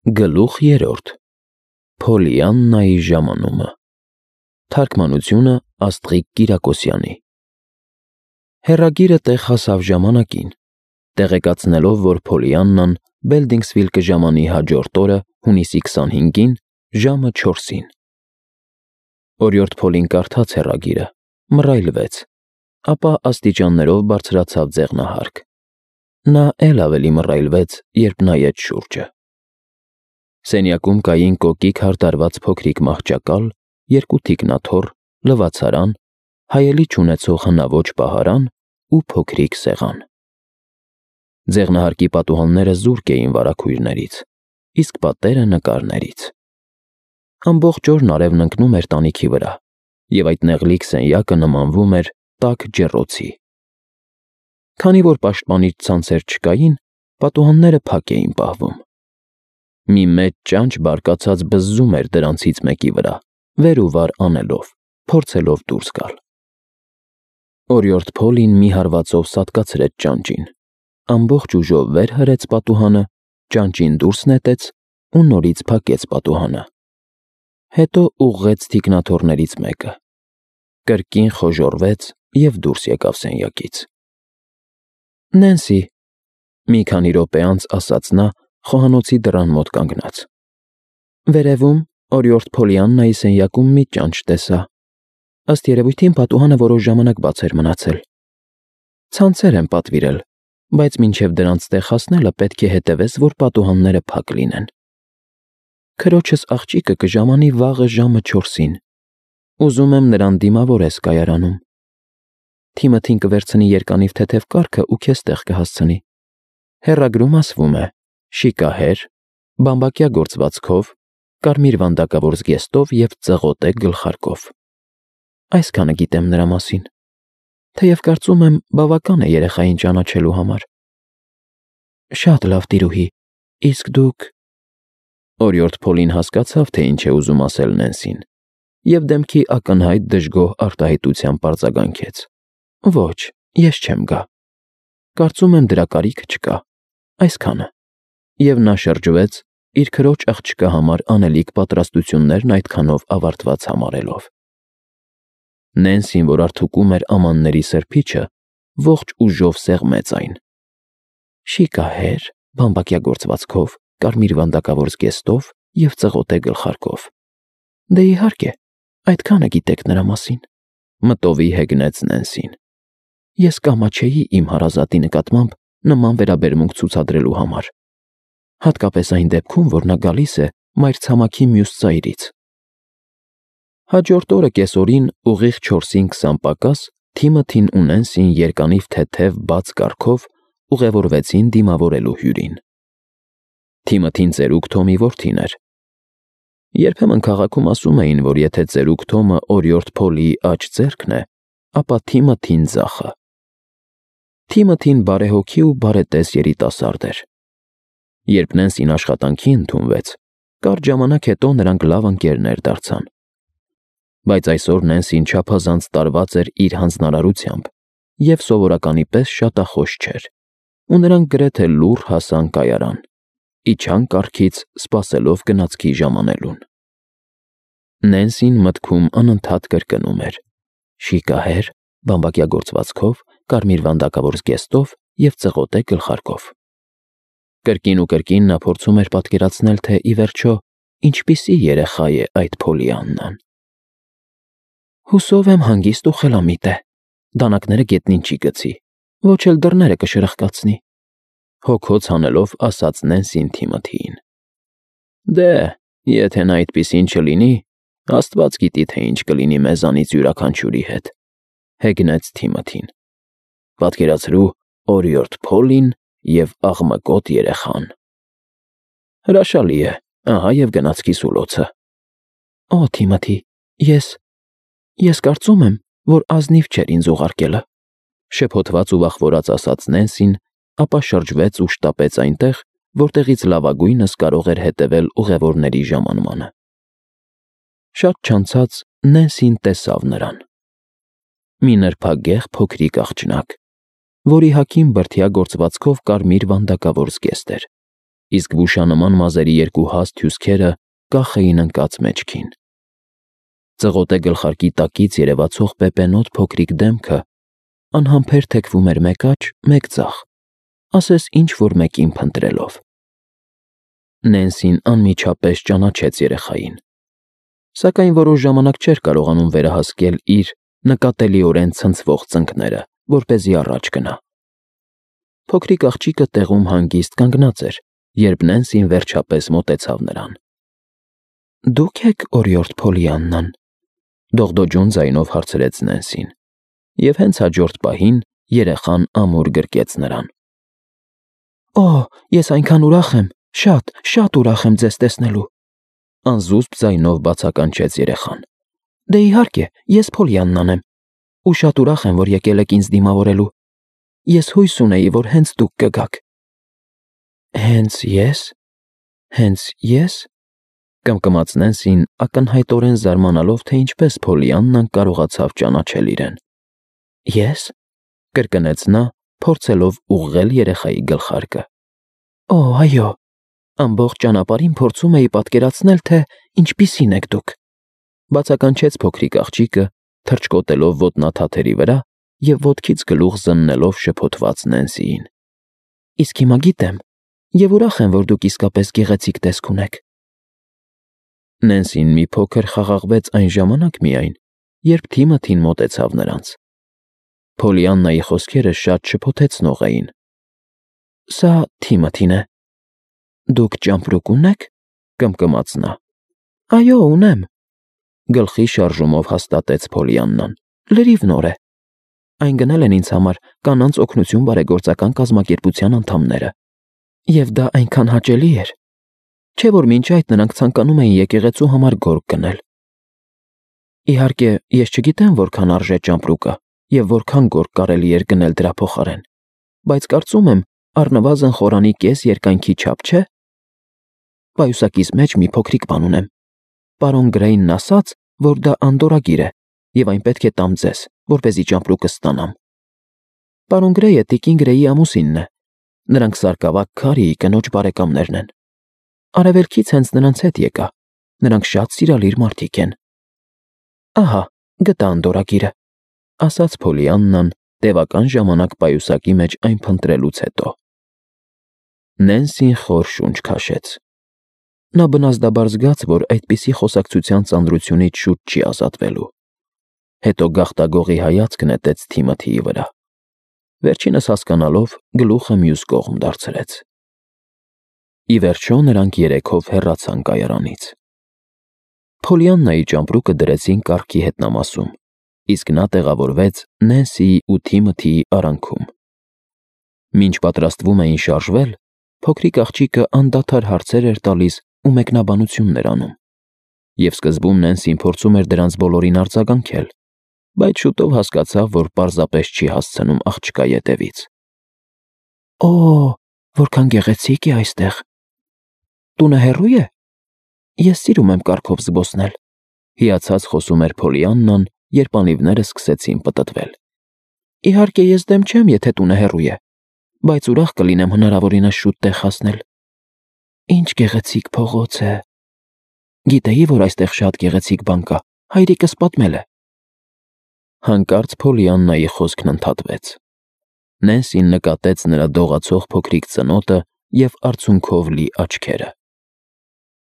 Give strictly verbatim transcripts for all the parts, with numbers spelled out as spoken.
Գլուխ երրորդ. Փոլիաննայի ժամանումը։ Թարգմանությունը Աստղիկ Կիրակոսյանի։ Հեռագիրը տեղ հասավ ժամանակին, տեղեկացնելով, որ Փոլիաննան Բելդինգսվիլ կժամանի հաջորդ օրը հունիսի քսանհինգին ժամը չորսին։ Օրիորդ Փոլին կարդաց հեռագիրը, մռայլվեց, ապա աստիճաններով բարձրացավ ձեղնահարկ։ Նա էլ ավելի մռայլվեց, երբ նայեց շուրջը։ Սենյակում կային կոկիկ հարդարված փոքրիկ մահճակալ, երկու թիկնաթոռ, լվացարան, հայելի չունեցող հնաոճ պահարան ու փոքրիկ սեղան։ Ձեղնահարկի պատուհանները զուրկ էին վարագույրներից, իսկ պատերը նկարներից։ Ամբողջ օրն արևն ընկնում էր տանիքի վրա, և այդ նեղլիկ սենյակը նմանվում էր տաք ջեռոցի։ Քանի որ պաշտպանիչ ցանցեր չկային, պատուհանները փակ էին պահվում։ Մի մեծ ճանճ բարկացած բզզում էր դրանցից մեկի վրա, վեր ու վար անելով, փորձելով դուրս գալ։ Օրիորդ Փոլին մի հարվածով սատկացրեց ճանճին, ամբողջ ուժով վեր հրեց պատուհանը, ճանճին դուրս նետեց ու նորից փակեց պատուհանը։ Հետո ուղղեց թիկնաթոռներից մեկը, կրկին խոժոռվեց և դուրս եկավ սենյակից։ «Նենսի», մի քանի րոպե անց ասաց նա, խոհանոցի դռան մոտ կանգնած։ «Վերևում օրիորդ Փոլիաննայի սենյակում մի ճանճ տեսա։ Ըստ երևույթին պատուհանը որոշ ժամանակ բաց էր մնացել։ Ցանցեր են պատվիրել, բայց մինչև դրանց տեղ հասնելը պետք է հետևես, որ պատուհանները փակ լինեն։ Քրոջս աղջիկը կժամանի վաղը ժամը չորսին։ Ուզում եմ նրան դիմավորես կայարանում։ Թիմոթին կվերցնի երկանիվ թեթև կառքը ու քեզ տեղ կհասցնի։ Հեռագրում ասվում է՝ շիկահեր, բամբակյա գործվածքով, կարմիր վանդակավոր զգեստով և ծղոտե գլխարկով։ Այսքանը գիտեմ նրա մասին, թեև կարծում եմ բավական է երեխային ճանաչելու համար։ Շատ լավ, տիրուհի, իսկ դուք… Օրիորդ Փոլին հասկացավ, թե ինչ է ուզում ասել Նենսին, և դեմքի ակնհայտ դժգոհ արտահայտությամբ արձագանքեց. Ոչ, ես չեմ գա։ Կարծում եմ դրա կարիքը չկա, այսքանը։ Եվ նա շրջվեց, իր քրոջ աղջկա համար անելիք պատրաստություններն այդքանով ավարտված համարելով։ Նենսին, որ արդուկում էր ամանների սրբիչը, ողջ ուժով սեղմեց այն։ Շիկահեր, բամբակյա գործվածքով, կարմիր վանդակավոր զգեստով և ծղոտե գլխարկով։ Դե իհարկե, այդքանը գիտեք նրա մասին, մտովի հեգնեց Նենսին։ Ես կամաչեի իմ հարազատի նկատմամբ նման վերաբերմունք ցուցադրելու համար, հատկապես այն դեպքում, որ նա գալիս է մայրցամաքի մյուս ծայրից։ Հաջորդ օրը կեսօրին ուղիղ չորսին քսան պակաս Թիմոթին ու Նենսին երկանիվ թեթև բաց կառքով ուղևորվեցին դիմավորելու հյուրին։ Թիմոթին ծերուկ Թոմի որդին էր։ Երբեմն քաղաքում ասում էին, որ եթե ծերուկ Թոմը օրիորդ Փոլիի աջ ձեռքն է, ապա Թիմոթին ձախը։ Թիմոթին բարեհոգի ու բարետես երիտասարդ էր։ Երբ Նենսին աշխատանքի ընդունվեց, կարճ ժամանակ հետո նրանք լավ ընկերներ դարձան։ Բայց այսօր Նենսին չափազանց տարված էր իր հանձնարարությամբ և սովորականի պես շատախոս չէր, ու նրանք գրեթե լուռ հասան կայարան, իջան կառքից, սպասելով գնացքի ժամանելուն։ Նենսին մտքում անընդհատ կրկնում էր. շիկահեր, բամբակյա գործվածքով, կարմիր վանդակավոր զգեստով և ծղոտե գլխարկով։ Կրկին ու կրկին նա փորձում էր պատկերացնել, թե ի վերջո ինչպիսի երեխա է այդ Փոլիաննան։ Հուսով եմ հանգիստ ու խելամիտ է, դանակները գետնին չի գցի, ոչ էլ դռները կշրխկացնի, հոգոց հանելով ասաց Նենսին Թիմոթիին։ Դե, եթե նա այդպիսին չլինի, Աստված գիտի, թե ինչ կլինի մեզանից յուրաքանչյուրի հետ, հեգնեց Թիմոթին։ Պատկերացրու օրիորդ Փոլին և աղմկոտ երեխան։ Հրաշալի է, ահա և գնացքի սուլոցը։ Օ, Թիմոթի, ես… ես կարծում եմ, որ ազնիվ չէր ինձ ուղարկելը, շփոթված ու վախվորած ասաց Նենսին, ապա շրջվեց ու շտապեց այնտեղ, որտեղից լավագույնս կարող էր հետևել ուղևորների ժամանմանը։ Շատ չանցած Նենսին տեսավ նրան։ Մի նրբագեղ փոքրիկ աղջնակ, որի հագին բրդյա գործվածքով կարմիր վանդակավոր զգեստ էր, իսկ վուշանման մազերի երկու հաստ հյուսքերը կախ էին ընկած մեջքին։ Ծղոտե գլխարկի տակից երևացող պեպենոտ փոքրիկ դեմքը անհամբեր թեքվում էր մեկ աջ, մեկ ձախ, ասես ինչ-որ մեկին փնտրելով։ Նենսին անմիջապես ճանաչեց երեխային, սակայն որոշ ժամանակ չէր կարողանում վերահասկել իր նկատելիորեն ցնցվող ծնկները, որպեսզի առաջ գնա։ Փոքրիկ աղջիկը տեղում հանգիստ կանգնած էր, երբ Նենսին վերջապես մոտեցավ նրան։ «Դուք եք օրիորդ Փոլիաննան», դողդոջուն ձայնով հարցրեց Նենսին, և հենց հաջորդ պահին երեխան ամուր գրկեց նրան։ «Օ, ես այնքան ուրախ եմ, շատ, շատ ուրախ եմ ձեզ տեսնելու», անզուսպ ձայնով բացականչեց երեխան։ «Դե իհարկե, ես Փոլիաննան եմ, ու շատ ուրախ եմ, որ եկել եք ինձ դիմավորելու։ Ես հույս ունեի, որ հենց դուք կգաք»։ «Հենց ե՞ս, հենց ե՞ս», կմկմաց Նենսին, ակնհայտորեն զարմանալով, թե ինչպես Փոլիաննան կարողացավ ճանաչել իրեն։ «Ե՞ս», կրկնեց նա, փորձելով ուղղել երեխայի գլխարկը։ «Օ, այո, ամբողջ ճանապարհին փորձում էի պատկերացնել, թե ինչպիսին եք դուք», բացականչեց փոքրիկ աղջիկը, թռչկոտելով ոտնաթաթերի վրա և ոտքից գլուխ զննելով շփոթված Նենսիին։ «Իսկ հիմա գիտեմ և ուրախ եմ, որ դուք իսկապես գեղեցիկ տեսք ունեք»։ Նենսին մի փոքր խաղաղվեց այն ժամանակ միայն, երբ Թիմոթին մոտեցավ նրանց։ Փոլիաննայի խոսքերը շատ շփոթեցնող էին։ «Սա Թիմոթին է։ Դուք ճամպրուկ ունե՞ք», կմկմաց նա։ «Այո, ունեմ», գլխի շարժումով հաստատեց Փոլիաննան։ «Լրիվ նոր է։ Այն գնել են ինձ համար Կանանց օգնություն բարեգործական կազմակերպության անդամները, և դա այնքան հաճելի էր, չէ՞ որ մինչ այդ նրանք ցանկանում էին եկեղեցու համար գորգ գնել։ Իհարկե, ես չգիտեմ որքան արժե ճամպրուկը և որքան գորգ կարելի էր գնել դրա փոխարեն, բայց կարծում եմ առնվազն խորանի կես երկայնքի չափ, չէ՞։ Պայուսակիս մեջ մի փոքրիկ բան ունեմ։ Պարոն Գրեյնն ասաց, որ դա անդորրագիր է, և այն պետք է տամ ձեզ, որպեսզի ճամպրուկը ստանամ։ Պարոն Գրեյը տիկին Գրեյի ամուսինն է։ Նրանք սարկավակ Քարիի կնոջ բարեկամներն են։ Արևելքից հենց նրանց հետ եկա։ Նրանք շատ սիրալիր մարդիկ են»։ «Ահա, գտա անդորրագիրը», ասաց Փոլիաննան, տևական ժամանակ պայուսակի մեջ այն փնտրելուց հետո։ Նենսին խոր շունչ քաշեց։ Նա բնազդաբար զգաց, որ այդպիսի խոսակցության ծանրությունից շուտ չի ազատվելու։ Հետո գաղտագողի հայացք նետեց Թիմոթիի վրա։ Վերջինս հասկանալով, գլուխը մյուս կողմ դարձրեց։ Ի վերջո նրանք երեքով հեռացան կայարանից։ Փոլիաննայի ճամպրուկը դրեցին կառքի հետնամասում, իսկ նա տեղավորվեց Նենսիի ու Թիմոթիի արանքում։ Մինչ պատրաստվում էին շարժվել, փոքրիկ աղջիկը անդադար հարցեր էր տալիս ու մեկնաբանություններ անում, և սկզբում Նենսին փորձում էր դրանց բոլորին արձագանքել, բայց շուտով հասկացավ, որ պարզապես չի հասցնում աղջկա ետևից։ «Օ, որքան գեղեցիկ է այստեղ։ Տունը հեռո՞ւ է։ Ես սիրում եմ կառքով զբոսնել», հիացած խոսում էր Փոլիաննան, երբ անիվները սկսեցին պտտվել։ «Իհարկե, ես դեմ չեմ, եթե տունը հեռու է, բայց ուրախ կլինեմ հնարավորինս շուտ տեղ հասնել։ Ինչ գեղեցիկ փողոց է։ Գիտեի, որ այստեղ շատ գեղեցիկ բան կա, հայրիկս պատմել է»։ Հանկարծ Փոլիաննայի խոսքն ընդհատվեց։ Նենսին նկատեց նրա դողացող փոքրիկ ծնոտը և արցունքով լի աչքերը։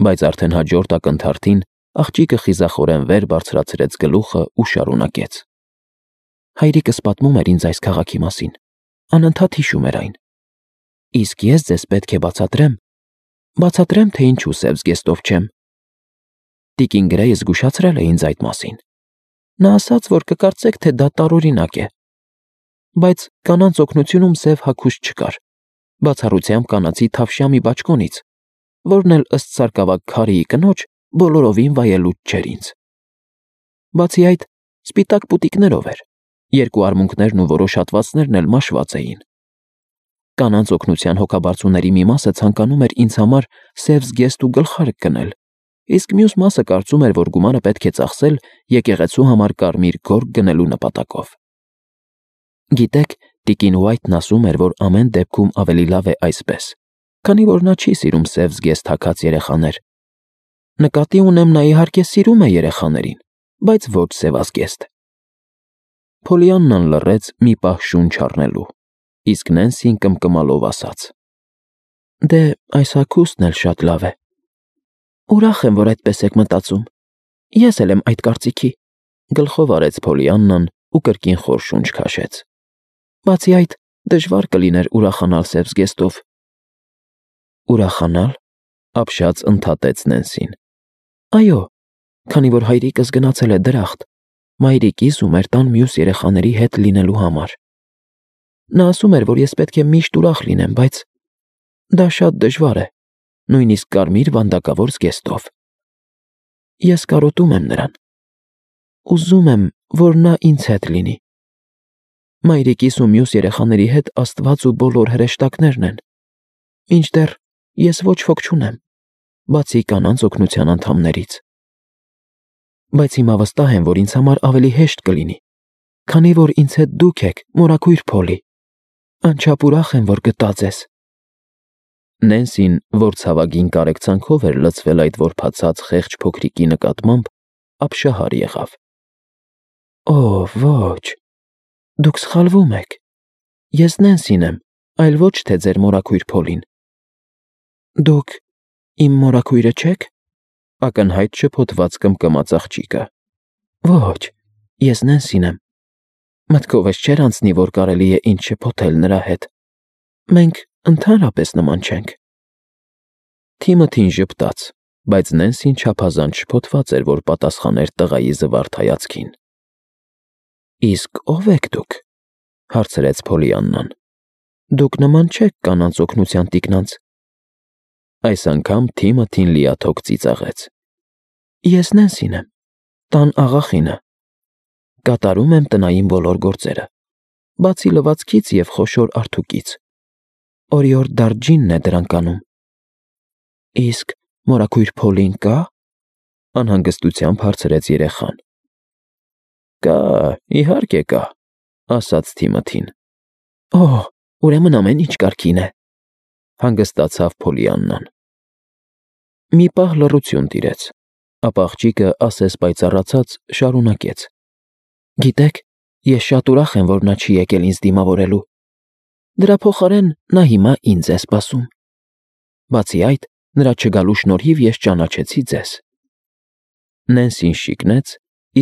Բայց արդեն հաջորդ ակնթարթին աղջիկը խիզախորեն վեր բարձրացրեց գլուխը ու շարունակեց. «Հայրիկս պատմում էր ինձ այս քաղաքի մասին, անընդհատ հիշում էր այն։ Իսկ ես ձեզ պետք է բացատրեմ, բացատրեմ, թե ինչու սև զգեստով չեմ։ Տիկին Գրեյը զգուշացրել է ինձ այդ մասին։ Նա ասաց, որ կկարծեք, թե դա տարօրինակ է։ Բայց Կանանց օգնությունում սև հագուստ չկար, բացառությամբ կանացի թավշյա մի բաճկոնից, որն էլ ըստ սարկավակ Քարիի կնոջ բոլորովին վայելուչ չէր ինձ։ Բացի այդ, սպիտակ պուտիկներով էր, երկու արմունկներն ու որոշ հատվածներն էլ մաշված էին։ Կանանց օգնության հոգաբարձուների մի մասը ցանկանում էր ինձ համար սև զգեստ ու գլխարկ գնել, իսկ մյուս մասը կարծում էր, որ գումարը պետք է ծախսել եկեղեցու համար կարմիր գորգ գնելու նպատակով։ Գիտեք, տիկին Ուայթն ասում էր, որ ամեն դեպքում ավելի լավ է այսպես, քանի որ նա չի սիրում սև զգեստ հագած երեխաներ։ Նկատի ունեմ, նա իհարկե սիրում է երեխաներին, բայց ոչ սևազգեստ։ Փոլիաննան լռեց մի պահ շունչ առնելու, իսկ Նենսին կմկմալով ասաց. Դե, այս հագուստն էլ շատ լավ է։ Ուրախ եմ, որ այդպես եք մտածում։ Ես էլ եմ այդ կարծիքի, գլխով արեց Փոլիաննան ու կրկին խոր շունչ քաշեց։ Բացի այդ, դժվար կլիներ ուրախանալ սև զգեստով։ Ուրախանալ, ապշած ընդհատեց Նենսին։ Այո, քանի որ հայրիկս գնացել է դրախտ, մայրիկիս ու մեր տան մյուս երեխաների հետ լինելու համար։ Նա ասում էր, որ ես պետք է միշտ ուրախ լինեմ, բայց դա շատ դժվար է, նույնիսկ կարմիր վանդակավոր զգեստով։ Ես կարոտում եմ նրան։ Ուզում եմ, որ նա ինձ հետ լինի։ Մայրիկիս ու մյուս երեխաների հետ Աստված ու բոլոր հրեշտակներն են, մինչդեռ ես ոչ ոք չունեմ, բացի կանանց օգնության անդամներից։ Բայց հիմա վստահ եմ, որ ինձ համար ավելի հեշտ կլինի, քանի որ ինձ հետ դուք եք, մորաքույր Փոլի։ Անչափ ուրախ եմ, որ գտա ձեզ։ Նենսին, որ ցավագին կարեկցանքով էր լցվել այդ որբացած խեղճ փոքրիկի նկատմամբ, ապշահար եղավ։ Օ, ոչ, դուք սխալվում եք։ Ես Նենսին եմ, այլ ոչ թե ձեր մորաքույր Փոլին։ Դուք իմ մորաքույրը չեք։ Ակնհայտ շփոթված կմկմաց աղջիկը։ Ոչ, ես Նենսին եմ։ Մտքովս չէր անցնի, որ կարելի է ինձ շփոթել նրա հետ։ Մենք ընդհանրապես նման չենք։ Թիմոթին ժպտաց, բայց Նենսին չափազանց շփոթված էր, որ պատասխաներ տղայի զվարթ հայացքին։ Իսկ ո՞վ եք դուք, հարցրեց Փոլիաննան։ Դուք նման չեք կանանց օգնության տիկնանց։ Այս անգամ Թիմոթին լիաթոք ծիծաղեց։ Ես Նենսին եմ, տան աղախինը։ Կատարում եմ տնային բոլոր գործերը, բացի լվացքից և խոշոր արթուկից։ Օրիորդ Դարջինն է դրանք անում։ Իսկ մորաքույր Փոլին կա՞։ Անհանգստությամբ հարցրեց երեխան։ Կա, իհարկե կա, ասաց Թիմոթին։ Օ, ուրեմն ամեն ինչ կարգին է, հանգստացավ Փոլիաննան։ Մի պահ լռություն տիրեց, ապա աղջիկը ասես պայծառացած շարունակեց. Գիտեք, ես շատ ուրախ եմ, որ նա չի եկել ինձ դիմավորելու։ Դրա փոխարեն նա հիմա ինձ է սպասում։ Բացի այդ, նրա չգալու շնորհիվ ես ճանաչեցի ձեզ։ Նենսին շիկնեց,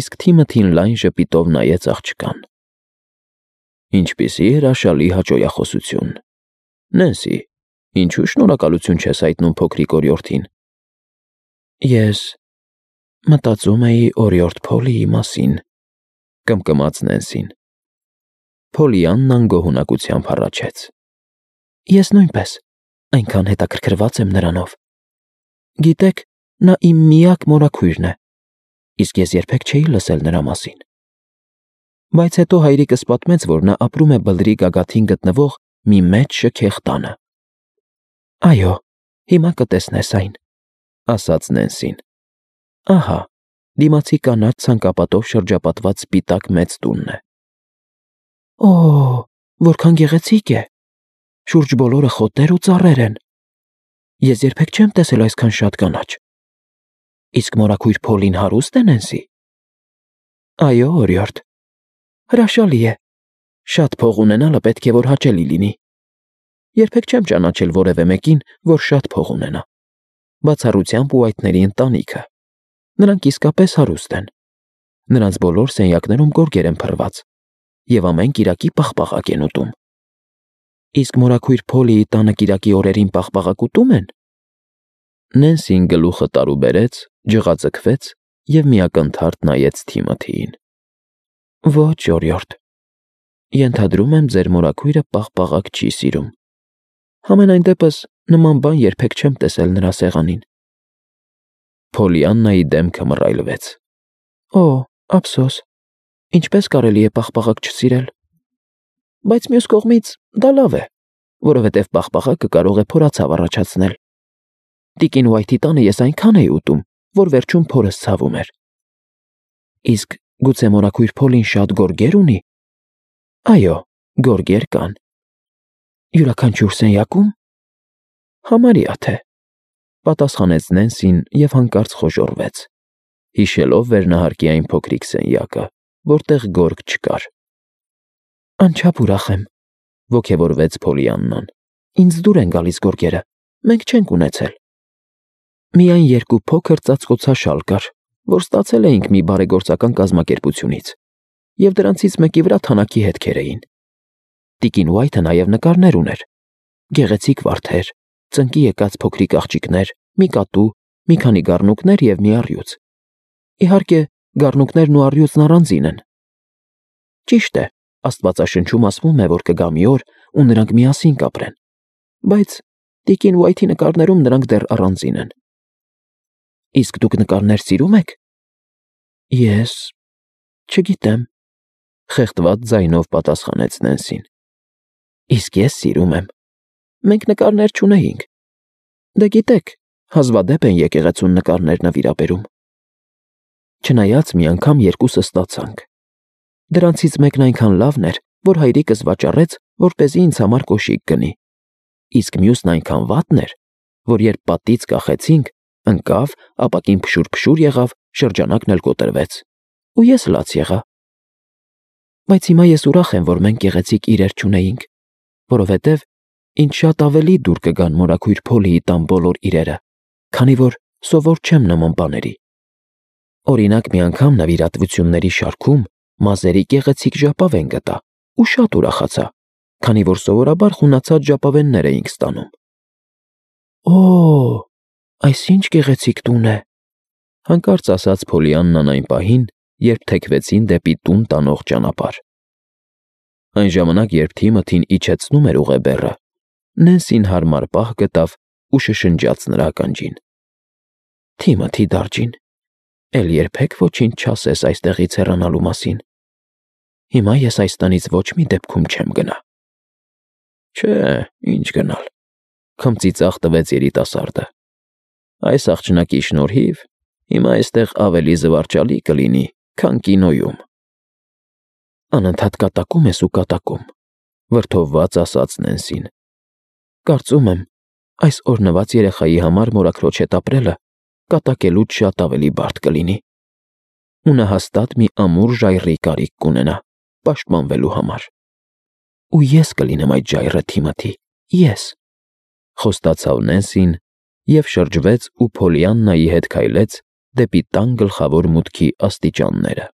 իսկ Թիմոթին լայն ժպիտով նայեց աղջկան։ Ինչպիսի հրաշալի հաճոյախոսություն։ Նենսի, ինչու շնորհակալություն չես հայտնում փոքրիկ օրիորդին։ Ես մտածում էի օրիորդ Փոլիի մասին, կմկմաց Նենսին։ Փոլիաննան գոհունակությամբ հառաչեց։ Ես նույնպես, այնքան հետաքրքրված եմ նրանով։ Գիտեք, նա իմ միակ մորաքույրն է, իսկ ես երբեք չէի լսել նրա մասին։ Բայց հետո հայրիկս պատմեց, որ նա ապրում է բլրի գագաթին գտնվող մի մեծ շքեղ տանը։ Այո, հիմա կտեսնես այն, ասաց Նենսին։ Ահա, դիմացի կանաչ ցանկապատով շրջապատված սպիտակ մեծ տունն է։ Օ, որքան գեղեցիկ է։ Շուրջ բոլորը խոտեր ու ծառեր են։ Ես երբեք չեմ տեսել այսքան շատ կանաչ։ Իսկ մորաքույր Փոլին հարուստ է, Նենսի։ Այո, օրիորդ։ Հրաշալի է։ Շատ փող ունենալը պետք է որ հաճելի լինի։ Երբեք չեմ ճանաչել որևէ մեկին, որ շատ փող ունենա։ Բացառությամբ ու այդների ընտանիքը։ Նրանք իսկապես հարուստ են։ Նրանց բոլոր սենյակներում գորգեր են փռված, և ամեն կիրակի պաղպաղակ են ուտում։ Իսկ մորաքույր Փոլիի տանը կիրակի օրերին պաղպաղակ ուտում են։ Նենսին գլուխը տարուբերեց, ջղաձգվեց և միակնթարթ նայեց Թիմոթիին։ Ոչ, օրիորդ։ Ենթադրում եմ, ձեր մորաքույրը պաղպաղակ չի սիրում։ Համենայն դեպս նման բան երբեք չեմ տեսել նրա սեղանին։ Փոլիաննայի դեմքը մռայլվեց։ Օ, ափսոս, ինչպես կարելի է պաղպաղակ չսիրել։ Բայց մյուս կողմից դա լավ է, որովհետև պաղպաղակը կարող է փորացավ առաջացնել։ Տիկին Ուայթի տանը ես այնքան էի ուտում, որ վերջում փորս ցավում էր։ Իսկ գուցե մորաքույր Փոլին շատ գորգեր ունի։ Այո, գորգեր կան։ Յուրաքանչյուր սենյակում։ Համարյա թե, պատասխանեց Նենսին և հանկարծ խոժոռվեց, հիշելով վերնահարկի այն փոքրիկ սենյակը, որտեղ գորգ չկար։ Անչափ ուրախ եմ, ոգևորվեց Փոլիաննան։ Ինձ դուր են գալիս գորգերը, մենք չենք ունեցել։ Միայն երկու փոքր ծածկոցաշալ կար, որ ստացել էինք մի բարեգործական կազմակերպությունից, և դրանցից մեկի վրա թանաքի հետքեր էին։ Տիկին Ուայթը նաև նկարներ ուներ, գեղեցիկ վարդեր, ծնկի եկած փոքրիկ աղջիկներ, մի կատու, մի քանի գառնուկներ և մի առյուծ։ Իհարկե, գառնուկներն ու առյուծն առանձին են։ Ճիշտ է, Աստվածաշնչում ասվում է, որ կգա մի օր, ու նրանք միասին կապրեն, բայց տիկին Ուայթի նկարներում նրանք դեռ առանձին են։ Իսկ դուք նկարներ սիրում եք։ Ես… չգիտեմ, խեղդված ձայնով պատասխանեց Նենսին։ Իսկ ես սիրում եմ։ Մենք նկարներ չունեինք։ Դե գիտեք, հազվադեպ են եկեղեցուն նկարներ նվիրաբերում։ Չնայած մի անգամ երկուսս ստացանք։ Դրանցից մեկն այնքան լավն էր, որ հայրիկս վաճառեց, որպեսզի ինձ համար կոշիկ գնի, իսկ մյուսն այնքան վատն էր, որ երբ պատից կախեցինք, ընկավ, ապակին փշուր-փշուր եղավ, շրջանակն էլ կոտրվեց, ու ես լաց եղա։ Բայց հիմա ես ուրախ եմ, որ մենք գեղեցիկ իրեր չունեինք, որովհետև ինձ շատ ավելի դուր կգան մորաքույր Փոլիի տան բոլոր իրերը, քանի որ սովոր չեմ նման բաների։ Օրինակ, մի անգամ նվիրատվությունների շարքում մազերի գեղեցիկ ժապավեն գտա ու շատ ուրախացա, քանի որ սովորաբար խունացած ժապավեններ էինք ստանում։ Օ՜, այս ինչ գեղեցիկ տուն է, հանկարծ ասաց Փոլիաննան այն պահին, երբ թեքվեցին դեպի տուն տանող ճանապարհ։ Այն ժամանակ, երբ Թիմոթին իջեցնում էր ուղեբեռը, Նենսին հարմար պահ գտավ ու շշնջաց նրա ականջին. Թիմոթի դարջին, էլ երբեք ոչինչ չասես այստեղից հեռանալու մասին։ Հիմա ես այս տնից ոչ մի դեպքում չեմ գնա։ Չէ, ինչ գնալ, քմծիծաղ տվեց երիտասարդը։ Այս աղջնակի շնորհիվ հիմա այստեղ ավելի զվարճալի կլինի, քան կինոյում։ Անընդհատ կատակում ես ու կատակում, վրդովված ասաց Նենսին։ Կարծում եմ, այս օրհնված երեխայի համար մորաքրոջ հետ ապրելը կատակելուց շատ ավելի բարդ կլինի։ Ու նա հաստատ մի ամուր ժայռի կարիք կունենա պաշտպանվելու համար։ Ու ես կլինեմ այդ ժայռը, Թիմոթի, ես, խոստացավ Նենսին և շրջվեց ու Փոլիաննայի հետ քայլեց դեպի տան գլխավոր մուտքի աստիճանները։